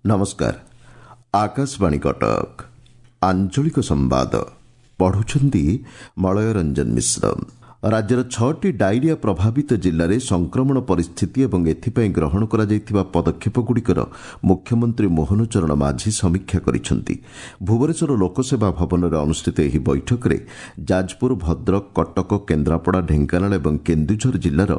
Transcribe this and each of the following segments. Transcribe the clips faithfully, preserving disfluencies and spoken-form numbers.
ନମସ୍କାର ଆକାଶବାଣୀ କଟକ ଆଞ୍ଚଳିକ ସମ୍ବାଦ ପଢୁଛନ୍ତି ମଳୟ ରଞ୍ଜନ ମିଶ୍ର ରାଜ୍ୟର ଛଅଟି ଡାଇରିଆ ପ୍ରଭାବିତ ଜିଲ୍ଲାରେ ସଂକ୍ରମଣ ପରିସ୍ଥିତି ଏବଂ ଏଥିପାଇଁ ଗ୍ରହଣ କରାଯାଇଥିବା ପଦକ୍ଷେପଗୁଡ଼ିକର ମୁଖ୍ୟମନ୍ତ୍ରୀ ମୋହନ ଚରଣ ମାଝୀ ସମୀକ୍ଷା କରିଛନ୍ତି ଭୁବନେଶ୍ୱର ଲୋକସେବା ଭବନରେ ଅନୁଷ୍ଠିତ ଏହି ବୈଠକରେ ଯାଜପୁର ଭଦ୍ରକ କଟକ କେନ୍ଦ୍ରାପଡ଼ା ଢେଙ୍କାନାଳ ଏବଂ କେନ୍ଦୁଝର ଜିଲ୍ଲାର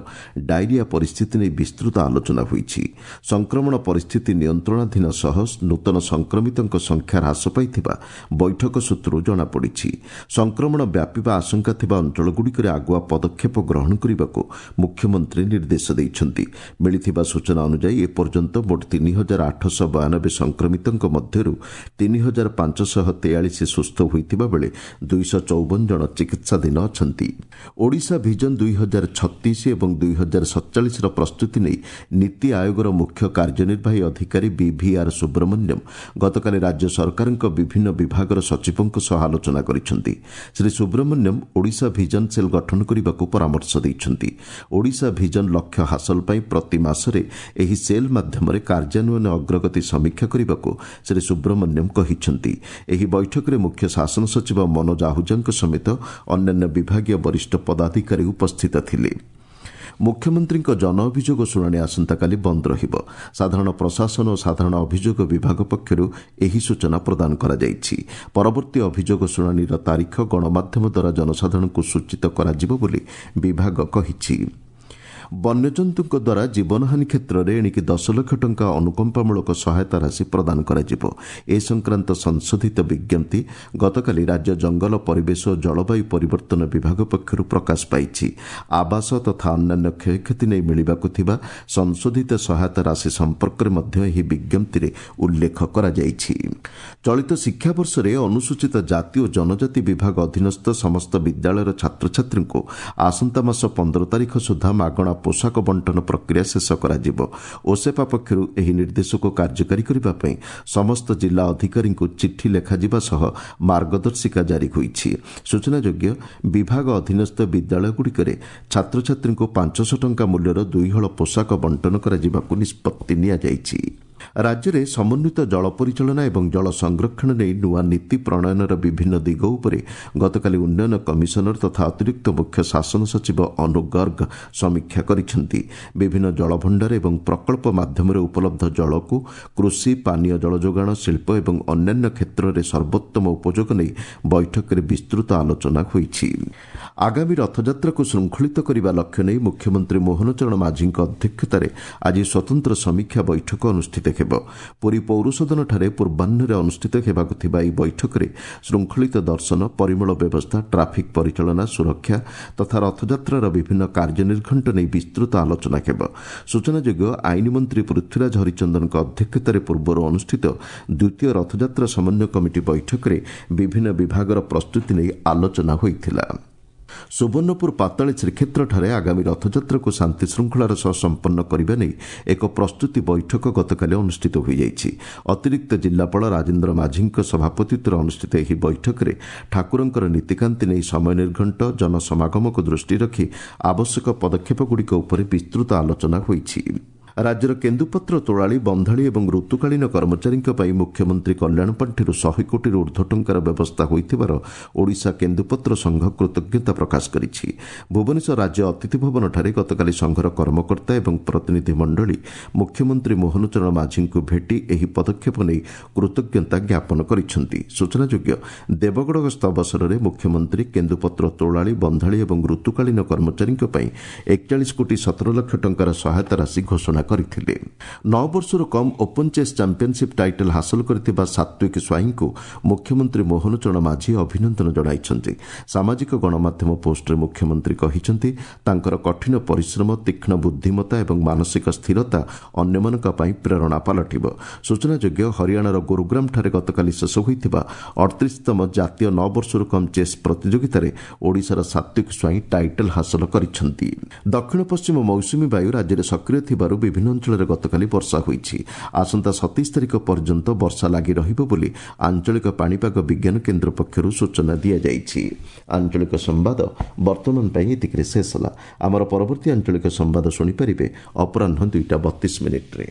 ଡାଇରିଆ ପରିସ୍ଥିତି ନେଇ ବିସ୍ତୃତ ଆଲୋଚନା ହୋଇଛି ସଂକ୍ରମଣ ପରିସ୍ଥିତି ନିୟନ୍ତ୍ରଣାଧୀନ ସହ ନୂତନ ସଂକ୍ରମିତଙ୍କ ସଂଖ୍ୟା ହ୍ରାସ ପାଇଥିବା ବୈଠକ ସୂତ୍ରରୁ ଜଣାପଡ଼ିଛି ସଂକ୍ରମଣ ବ୍ୟାପିବା ଆଶଙ୍କା ଥିବା ଅଞ୍ଚଳଗୁଡ଼ିକରେ ଆଗୁଆ ପଦକ୍ଷେପ ଗ୍ରହଣ କରିବାକୁ ମୁଖ୍ୟମନ୍ତ୍ରୀ ନିର୍ଦ୍ଦେଶ ଦେଇଛନ୍ତି ମିଳିଥିବା ସୂଚନା ଅନୁଯାୟୀ ଏପର୍ଯ୍ୟନ୍ତ ମୋଟ ତିନି ହଜାର ଆଠଶହ ବୟାନବେ ସଂକ୍ରମିତଙ୍କ ମଧ୍ୟରୁ ତିନି ହଜାର ପାଞ୍ଚଶହ ତେୟାଳିଶ ସୁସ୍ଥ ହୋଇଥିବା ବେଳେ ଦୁଇଶହ ଚଉବନ ଜଣ ଚିକିତ୍ସାଧୀନ ଅଛନ୍ତି ଓଡ଼ିଶା ଭିଜନ ଦୁଇ ହଜାର ଛତିଶ ଏବଂ ଦୁଇ ହଜାର ସତଚାଳିଶର ପ୍ରସ୍ତୁତି ନେଇ ନୀତି ଆୟୋଗର ମୁଖ୍ୟ କାର୍ଯ୍ୟନିର୍ବାହୀ ଅଧିକାରୀ ବିଭିଆର୍ ସୁବ୍ରମଣ୍ୟମ୍ ଗତକାଲି ରାଜ୍ୟ ସରକାରଙ୍କ ବିଭିନ୍ନ ବିଭାଗର ସଚିବଙ୍କ ସହ ଆଲୋଚନା କରିଛନ୍ତି ଶ୍ରୀ ସୁବ୍ରମଣ୍ୟମ୍ ଓଡ଼ିଶା ଭିଜନ ସେଲ୍ ଗଠନ କରିବାକୁ ପରାମର୍ଶ ଦେଇଛନ୍ତି ଓଡ଼ିଶା ଭିଜନ ଲକ୍ଷ୍ୟ ହାସଲ ପାଇଁ ପ୍ରତି ମାସରେ ଏହି ସେଲ୍ ମାଧ୍ୟମରେ କାର୍ଯ୍ୟାନ୍ୱୟନ ଅଗ୍ରଗତି ସମୀକ୍ଷା କରିବାକୁ ଶ୍ରୀ ସୁବ୍ରମଣ୍ୟମ୍ କହିଛନ୍ତି ଏହି ବୈଠକରେ ମୁଖ୍ୟ ଶାସନ ସଚିବ ମନୋଜ ଆହୁଜାଙ୍କ ସମେତ ଅନ୍ୟାନ୍ୟ ବିଭାଗୀୟ ବରିଷ୍ଠ ପଦାଧିକାରୀ ଉପସ୍ଥିତ ଥିଲେ ମୁଖ୍ୟମନ୍ତ୍ରୀଙ୍କ ଜନ ଅଭିଯୋଗ ଶୁଣାଣି ଆସନ୍ତାକାଲି ବନ୍ଦ ରହିବ ସାଧାରଣ ପ୍ରଶାସନ ଓ ସାଧାରଣ ଅଭିଯୋଗ ବିଭାଗ ପକ୍ଷରୁ ଏହି ସୂଚନା ପ୍ରଦାନ କରାଯାଇଛି ପରବର୍ତ୍ତୀ ଅଭିଯୋଗ ଶୁଣାଣିର ତାରିଖ ଗଣମାଧ୍ୟମ ଦ୍ୱାରା ଜନସାଧାରଣଙ୍କୁ ସୂଚିତ କରାଯିବ ବୋଲି ବିଭାଗ କହିଛି ବନ୍ୟଜନ୍ତୁଙ୍କ ଦ୍ୱାରା ଜୀବନହାନି କ୍ଷେତ୍ରରେ ଏଣିକି ଦଶ ଲକ୍ଷ ଟଙ୍କା ଅନୁକମ୍ପାମୂଳକ ସହାୟତା ରାଶି ପ୍ରଦାନ କରାଯିବ ଏ ସଂକ୍ରାନ୍ତ ସଂଶୋଧିତ ବିଜ୍ଞପ୍ତି ଗତକାଲି ରାଜ୍ୟ ଜଙ୍ଗଲ ପରିବେଶ ଓ ଜଳବାୟୁ ପରିବର୍ତ୍ତନ ବିଭାଗ ପକ୍ଷରୁ ପ୍ରକାଶ ପାଇଛି ଆବାସ ତଥା ଅନ୍ୟାନ୍ୟ କ୍ଷୟକ୍ଷତି ନେଇ ମିଳିବାକୁ ଥିବା ସଂଶୋଧିତ ସହାୟତା ରାଶି ସମ୍ପର୍କରେ ମଧ୍ୟ ଏହି ବିଜ୍ଞପ୍ତିରେ ଉଲ୍ଲେଖ କରାଯାଇଛି ଚଳିତ ଶିକ୍ଷାବର୍ଷରେ ଅନୁସୂଚିତ ଜାତି ଓ ଜନଜାତି ବିଭାଗ ଅଧୀନସ୍ଥ ସମସ୍ତ ବିଦ୍ୟାଳୟର ଛାତ୍ରଛାତ୍ରୀଙ୍କୁ ଆସନ୍ତା ମାସ ପନ୍ଦର ତାରିଖ ସୁଦ୍ଧା ମାଗଣା ପୋଷାକ ବଣ୍ଟନ ପ୍ରକ୍ରିୟା ଶେଷ କରାଯିବ ଓସେପା ପକ୍ଷରୁ ଏହି ନିର୍ଦ୍ଦେଶକୁ କାର୍ଯ୍ୟକାରୀ କରିବା ପାଇଁ ସମସ୍ତ ଜିଲ୍ଲା ଅଧିକାରୀଙ୍କୁ ଚିଠି ଲେଖାଯିବା ସହ ମାର୍ଗଦର୍ଶିକା ଜାରି ହୋଇଛି ସୂଚନାଯୋଗ୍ୟ ବିଭାଗ ଅଧୀନସ୍ଥ ବିଦ୍ୟାଳୟଗୁଡ଼ିକରେ ଛାତ୍ରଛାତ୍ରୀଙ୍କୁ ପାଞ୍ଚଶହ ଟଙ୍କା ମୂଲ୍ୟର ଦୁଇହଳ ପୋଷାକ ବଣ୍ଟନ କରାଯିବାକୁ ନିଷ୍ପତ୍ତି ନିଆଯାଇଛି ରାଜ୍ୟରେ ସମନ୍ୱିତ ଜଳ ପରିଚାଳନା ଏବଂ ଜଳ ସଂରକ୍ଷଣ ନେଇ ନୂଆ ନୀତି ପ୍ରଣୟନର ବିଭିନ୍ନ ଦିଗ ଉପରେ ଗତକାଲି ଉନ୍ନୟନ କମିଶନର ତଥା ଅତିରିକ୍ତ ମୁଖ୍ୟ ଶାସନ ସଚିବ ଅନୁ ଗର୍ଗ ସମୀକ୍ଷା କରିଛନ୍ତି ବିଭିନ୍ନ ଜଳଭଣ୍ଡାର ଏବଂ ପ୍ରକଳ୍ପ ମାଧ୍ୟମରେ ଉପଲବ୍ଧ ଜଳକୁ କୃଷି ପାନୀୟ ଜଳ ଯୋଗାଣ ଶିଳ୍ପ ଏବଂ ଅନ୍ୟାନ୍ୟ କ୍ଷେତ୍ରରେ ସର୍ବୋତ୍ତମ ଉପଯୋଗ ନେଇ ବୈଠକରେ ବିସ୍ତୃତ ଆଲୋଚନା ହୋଇଛି ଆଗାମୀ ରଥଯାତ୍ରାକୁ ଶୃଙ୍ଖଳିତ କରିବା ଲକ୍ଷ୍ୟ ନେଇ ମୁଖ୍ୟମନ୍ତ୍ରୀ ମୋହନ ଚରଣ ମାଝୀଙ୍କ ଅଧ୍ୟକ୍ଷତାରେ ଆଜି ସ୍ୱତନ୍ତ୍ର ସମୀକ୍ଷା ବୈଠକ ଅନୁଷ୍ଠିତ ହେବ ପୁରୀ ପୌରସଦନଠାରେ ପୂର୍ବାହ୍ନରେ ଅନୁଷ୍ଠିତ ହେବାକୁ ଥିବା ଏହି ବୈଠକରେ ଶୃଙ୍ଖଳିତ ଦର୍ଶନ ପରିମଳ ବ୍ୟବସ୍ଥା ଟ୍ରାଫିକ୍ ପରିଚାଳନା ସୁରକ୍ଷା ତଥା ରଥଯାତ୍ରାର ବିଭିନ୍ନ କାର୍ଯ୍ୟନିର୍ଘଣ୍ଟ ନେଇ ବିସ୍ତୃତ ଆଲୋଚନା ହେବ ସୂଚନାଯୋଗ୍ୟ ଆଇନ ମନ୍ତ୍ରୀ ପୃଥ୍ୱୀରାଜ ହରିଚନ୍ଦନଙ୍କ ଅଧ୍ୟକ୍ଷତାରେ ପୂର୍ବରୁ ଅନୁଷ୍ଠିତ ଦ୍ୱିତୀୟ ରଥଯାତ୍ରା ସମନ୍ୱୟ କମିଟି ବୈଠକରେ ବିଭିନ୍ନ ବିଭାଗର ପ୍ରସ୍ତୁତି ନେଇ ଆଲୋଚନା ହୋଇଥିଲା ସୁବର୍ଣ୍ଣପୁର ପାତାଳୀ ଶ୍ରୀକ୍ଷେତ୍ରଠାରେ ଆଗାମୀ ରଥଯାତ୍ରାକୁ ଶାନ୍ତିଶୃଙ୍ଖଳାର ସହ ସମ୍ପନ୍ନ କରିବା ନେଇ ଏକ ପ୍ରସ୍ତୁତି ବୈଠକ ଗତକାଲି ଅନୁଷ୍ଠିତ ହୋଇଯାଇଛି ଅତିରିକ୍ତ ଜିଲ୍ଲାପାଳ ରାଜେନ୍ଦ୍ର ମାଝୀଙ୍କ ସଭାପତିତ୍ୱରେ ଅନୁଷ୍ଠିତ ଏହି ବୈଠକରେ ଠାକୁରଙ୍କର ନୀତିକାନ୍ତି ନେଇ ସମୟ ନିର୍ଘଣ୍ଟ ଜନସମାଗମକୁ ଦୃଷ୍ଟିରେ ରଖି ଆବଶ୍ୟକ ପଦକ୍ଷେପଗୁଡ଼ିକ ଉପରେ ବିସ୍ତୃତ ଆଲୋଚନା ହୋଇଛି ରାଜ୍ୟର କେନ୍ଦୁପତ୍ର ତୋଳାଳି ବନ୍ଧାଳି ଏବଂ ଋତୁକାଳୀନ କର୍ମଚାରୀଙ୍କ ପାଇଁ ମୁଖ୍ୟମନ୍ତ୍ରୀ କଲ୍ୟାଣ ପାଣ୍ଠିରୁ ଶହେ କୋଟିରୁ ଉର୍ଦ୍ଧ୍ୱ ଟଙ୍କାର ବ୍ୟବସ୍ଥା ହୋଇଥିବାର ଓଡ଼ିଶା କେନ୍ଦୁପତ୍ର ସଂଘ କୃତଜ୍ଞତା ପ୍ରକାଶ କରିଛି ଭୁବନେଶ୍ୱର ରାଜ୍ୟ ଅତିଥି ଭବନଠାରେ ଗତକାଲି ସଂଘର କର୍ମକର୍ତ୍ତା ଏବଂ ପ୍ରତିନିଧି ମଣ୍ଡଳୀ ମୁଖ୍ୟମନ୍ତ୍ରୀ ମୋହନ ଚରଣ ମାଝୀଙ୍କୁ ଭେଟି ଏହି ପଦକ୍ଷେପ ନେଇ କୃତଜ୍ଞତା ଜ୍ଞାପନ କରିଛନ୍ତି ସୂଚନାଯୋଗ୍ୟ ଦେବଗଡ଼ ଗସ୍ତ ଅବସରରେ ମୁଖ୍ୟମନ୍ତ୍ରୀ କେନ୍ଦୁପତ୍ର ତୋଳାଳି ବନ୍ଧାଳି ଏବଂ ଋତୁକାଳୀନ କର୍ମଚାରୀଙ୍କ ପାଇଁ ଏକଚାଳିଶ କୋଟି ସତର ଲକ୍ଷ ଟଙ୍କାର ସହାୟତା ରାଶି ଘୋଷଣା କରିଥିଲେ ନଅ ବର୍ଷରୁ କମ୍ ଓପନ୍ ଚେସ୍ ଚାମ୍ପିୟନସିପ୍ ଟାଇଟଲ୍ ହାସଲ କରିଥିବା ସାତ୍ୱିକ ସ୍ୱାଇଁଙ୍କୁ ମୁଖ୍ୟମନ୍ତ୍ରୀ ମୋହନ ଚରଣ ମାଝୀ ଅଭିନନ୍ଦନ ଜଣାଇଛନ୍ତି ସାମାଜିକ ଗଣମାଧ୍ୟମ ପୋଷ୍ଟରେ ମୁଖ୍ୟମନ୍ତ୍ରୀ କହିଛନ୍ତି ତାଙ୍କର କଠିନ ପରିଶ୍ରମ ତୀକ୍ଷ୍ଣ ବୁଦ୍ଧିମତ୍ତା ଏବଂ ମାନସିକ ସ୍ଥିରତା ଅନ୍ୟମାନଙ୍କ ପାଇଁ ପ୍ରେରଣା ପାଲଟିବ ସୂଚନାଯୋଗ୍ୟ ହରିୟାଣାର ଗୁରୁଗ୍ରାମଠାରେ ଗତକାଲି ଶେଷ ହୋଇଥିବା ଅଠତିରିଶତମ ଜାତୀୟ ନଅ ବର୍ଷରୁ କମ୍ ଚେସ୍ ପ୍ରତିଯୋଗିତାରେ ଓଡ଼ିଶାର ସାତ୍ୱିକ ସ୍ୱାଇଁ ଟାଇଟଲ୍ ହାସଲ କରିଛନ୍ତି ଦକ୍ଷିଣ ପଶ୍ଚିମ ମୌସୁମୀ ବାୟୁ ରାଜ୍ୟରେ ସକ୍ରିୟ ଥିବାରୁ ବିଭିନ୍ନ ଅଞ୍ଚଳରେ ଗତକାଲି ବର୍ଷା ହୋଇଛି ଆସନ୍ତା ସତେଇଶ ତାରିଖ ପର୍ଯ୍ୟନ୍ତ ବର୍ଷା ଲାଗି ରହିବ ବୋଲି ଆଞ୍ଚଳିକ ପାଣିପାଗ ବିଜ୍ଞାନ କେନ୍ଦ୍ର ପକ୍ଷରୁ ସୂଚନା ଦିଆଯାଇଛି ଆଞ୍ଚଳିକ ସମ୍ବାଦ ବର୍ତ୍ତମାନ ପାଇଁ ଏତିକିରେ ଶେଷ ହେଲା ଆମର ପରବର୍ତ୍ତୀ ଆଞ୍ଚଳିକ ସମ୍ବାଦ ଶୁଣିପାରିବେ ଅପରାହ୍ନ ଦୁଇଟା ବତିଶ ମିନିଟ୍ରେ।